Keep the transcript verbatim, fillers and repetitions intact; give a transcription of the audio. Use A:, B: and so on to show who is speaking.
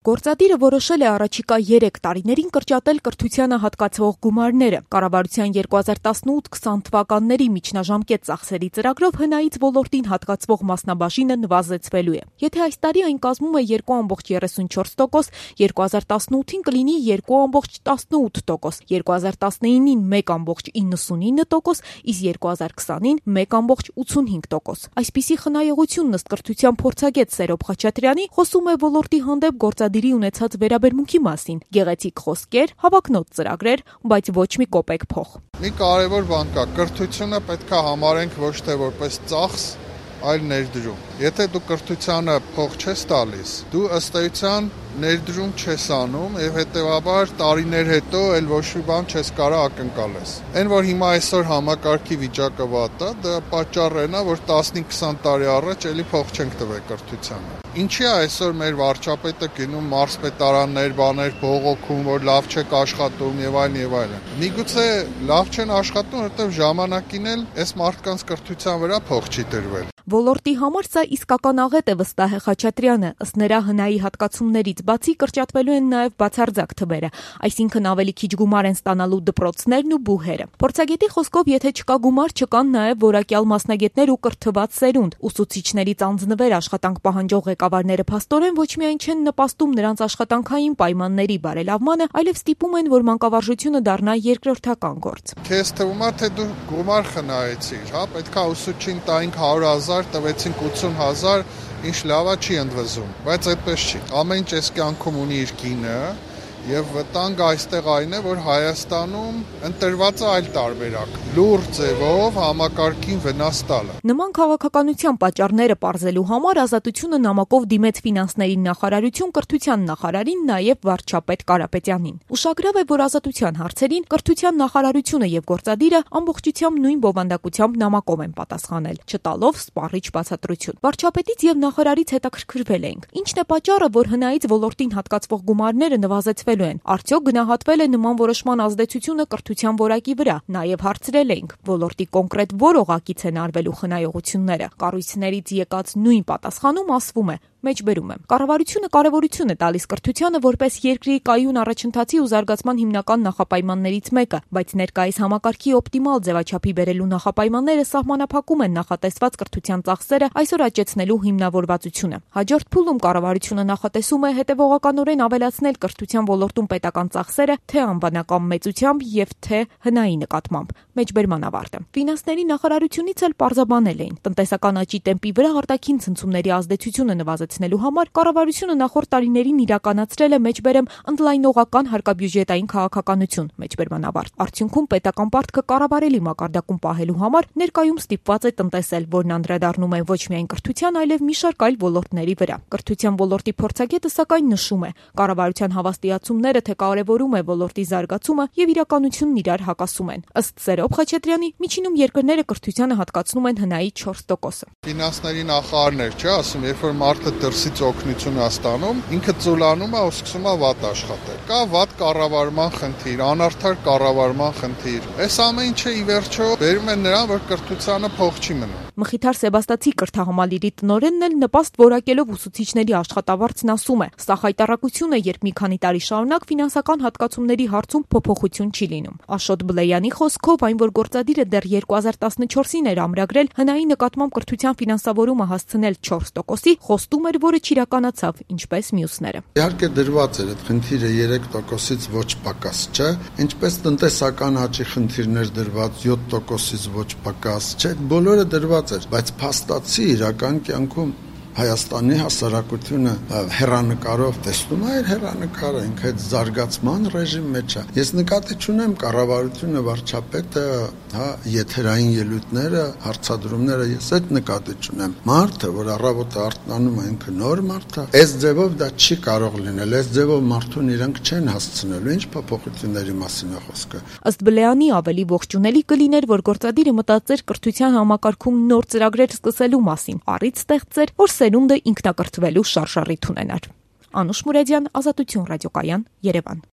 A: Գործադիրը որոշել է առաջիկա երեք տարիներին կրճատել կրթությանը հատկացվող գումարները։ Կառավարության երկու հազար տասնութ քսան թվականների միջնաժամկետ ծախսերի ծրագրով հնայից ոլորտին հատկացվող մասնաբաժինը նվազեցվելու է։ Եթե այս տարի այն կազմում է երկու կόμma երեսունչորս տոկոս, երկու հազար տասնութին կլինի երկու կόμma տասնութ տոկոս, երկու հազար տասնինին մեկ կόμma նվաթ տոկոս, իսկ երկու հազար քսանին մեկ կόμma ութսունհինգ տոկոս։ Այսպիսի խնայողությունն ըստ կրթության փորձագետ Սերոբ Խաչատրյանի խոսում է ոլորտի հանդեպ գործադիրի ունեցած վերաբերմունքի մասին, գեղեցիկ խոսքեր, հավակնոտ ծրագրեր, բայց ոչ մի կոպեկ փող։
B: Մի կարևոր բան կա, կրթությունը պետք է համարենք ոչ թե որպես ծախս, այլ ներդրում։ Եթե դու կրթությանը փող չես տալիս, դու ըստ էության ներդրում չես անում եւ հետեւաբար տարիներ հետո էլ ոչ մի բան չես կարող ակնկալես։ Այն որ հիմա այսօր համակարգի վիճակը վատ է, դա պատճառն է, որ տասնհինգ քսան տարի առաջ էլի փող չենք տվել կրթությանը։ Ինչի է այսօր մեր վարչապետը գնում մարզպետարաններ, բաներ բողոքում, որ լավ չեք աշխատում եւ այլն եւ այլն։ Միգուցե լավ չեն աշխատում, որովհետեւ ժամանակին էլ այս մարդկանց կրթության վրա փող չի տրվել։
A: Ոլորտի համար սա իսկական աղետ է, վստահ է Խաչատրյանը, ըստ նրա հնայի հատկացումներից բացի կրճատվելու են նաև բացարձակ թվերը, այսինքն ավելի քիչ գումար են ստանալու դպրոցներն ու բուհերը։ Փորձագետի խոսքով, եթե չկա գումար, չկան նաև որակյալ մասնագետներ ու կրթված սերունդ։ Ուսուցիչներից անձնվեր աշխատանք պահանջող ղեկավարները փաստորեն ոչ միայն չեն նպաստում նրանց աշխատանքային պայմանների բարելավմանը, այլև ստիպում են, որ մանկավարժությունը դառնա երկրորդական գործ։
B: Քեզ թվում է, թե դու գումար խնայեցիր, հա, պետքա ուսուցչին տայինք հարյուր հազար, տվեցինք ութսուն հազար, ինչ լավա չի ընդվզում, բայց այդպես չի։ Ամեն ինչ այս կյանքում ունի իր գինը, եւ վտանգը այստեղ այն է, որ Հայաստանում ընտրված է այլ տարբերակ՝ լուր ձևով համակարգին վնաս տալը։
A: Նման քաղաքականության պատճառները պարզելու համար Ազատությունը նամակով դիմեց ֆինանսների նախարարություն կրթության նախարարին, նաեւ վարչապետ Կարապետյանին։ Ուշագրավ է, որ Ազատության հարցերին կրթության նախարարությունը եւ գործադիրը ամբողջությամբ նույն բովանդակությամբ նամակով են պատասխանել, չտալով սպառիչ բացատրություն։ Վարչապետից եւ նախարարից հետաքրքրվել ենք. ինչն է պատճառը, որ հնայից ոլորտին հատկացվող գումարները նվազեցվել են։ Արդյոք գնահատվել է նման որոշման ազդեցությունը կրթության որակի վրա։ Նաև հարցրել ենք, ոլորտի կոնկրետ որ օղակից են արվելու խնայողությունները։ Կառույցներից եկած նույն պատասխանում ասվում է. Մեջբերում եմ։ Կառավարությունը կարևորություն է տալիս կրթությանը որպես երկրի կայուն առաջընթացի ու զարգացման հիմնական նախապայմաններից մեկը, բայց ներկայիս համակարգի օպտիմալ ձևաչափի բերելու նախապայմանները սահմանափակում են նախատեսված կրթության ծախսերը այսօր աճեցնելու հիմնավորվածությունը։ Հաջորդ փուլում կառավարությունը նախատեսում է հետևողականորեն ավելացնել կրթության ոլորտում պետական ծախսերը թե անվանական մեծությամբ եւ թե հնայի նկատմամբ։ Մեջբերման ավարտը։ Ֆինանսների նախարարությունից էլ պարզաբանել էին. տնտեսական աճի տեմպի վրա արտաքին ցնցումների ազդեցությունը նվազեցնելու համար կառավարությունը նախորդ տարիներին իրականացրել է մեջբերեմ ընդլայնողական հարկաբյուջետային քաղաքականություն, մեջբերման ավարտ։ Արդյունքում պետական պարտքը կառավարելի մակարդակում պահելու համար ներկայում ստիպված է տնտեսել, որն անդրադառնում է ոչ միայն կրթության, այլև մի շարք այլ ոլորտների վրա։ Կրթության ոլորտի փորձագետը սակայն նշում է, կառավարության հավաստիացումները թե կարևորում է ոլորտի զարգացումը եւ իրականությունն իրար հակասում են։ Ըստ Սերոբ Խաչատրյանի, միջինում երկրները կրթությանը հատկացնում են հնայի չորս տոկոսը։
B: Ֆինանսների նախարարն էր, չէ՞, ասում, երբ որ մարդը դրսից օգնություն է ստանում, ինքը ծուլանում է ու սկսում է վատ աշխատել։ Կա վատ կառավարման խնդիր, անարդար կառավարման խնդիր։ Այս ամեն ինչը ի վերջո բերում է նրան, որ կրթությանը փող չի մնում։
A: Մխիթար Սեբաստացի կրթահամալիրի տնօրենն էլ նպաստ որակելով ուսուցիչների աշխատավարձն ասում է. սա խայտառակություն է, երբ մի քանի տարի շարունակ ֆինանսական հատկացումների հարցում փոփոխություն չի լինում։ Աշոտ Բլեյանի խոսքով, այն որ գործադիրը դեռ երկու հազար տասնչորսին էր ամրագրել հնայի նկատմամբ կրթության ֆինանսավորումը հասցնել չորս տոկոսի, խոստում էր, որը չիրականացավ, ինչպես մյուսները։
C: Իհարկե դրված էր այդ խնդիրը երեք տոկոսից ոչ պակաս չէ, ինչպես տնտեսական աճի խնդիրներ դրված յոթ տոկոսից ոչ պակաս չէ, բոլորը դրված էր, բայց փաստացի իրական կյանքում Հայաստանի հասարակությունը հեռանկարով տեսնում է հեռանկարը, ինքը այդ զարգացման ռեժիմ մեջ է։ Ես նկատի չունեմ կառավարությունը, վարչապետը, հա, եթերային ելույթները, հարցադրումները, ես այդ նկատի չունեմ։ Մարդը, որ առավոտը արթնանում է, ինքը նոր մարդ է։ Այս ձևով դա չի կարող լինել, այս ձևով մարդուն իրենք չեն հասցնելու, ինչ փոփոխությունների մասին է խոսքը։
A: Ըստ Բլեյանի ավելի ողջունելի կլիներ, որ գործադիրը մտածեր կրթության համակարգում նոր ծրագրեր սկսելու մասին, առիթ ստեղծեր, որ սերունդը ինքնակրթվելու շարժառիթ ունենար։ Անուշ Մուրադյան, Ազատություն ռադիոկայան, Երևան։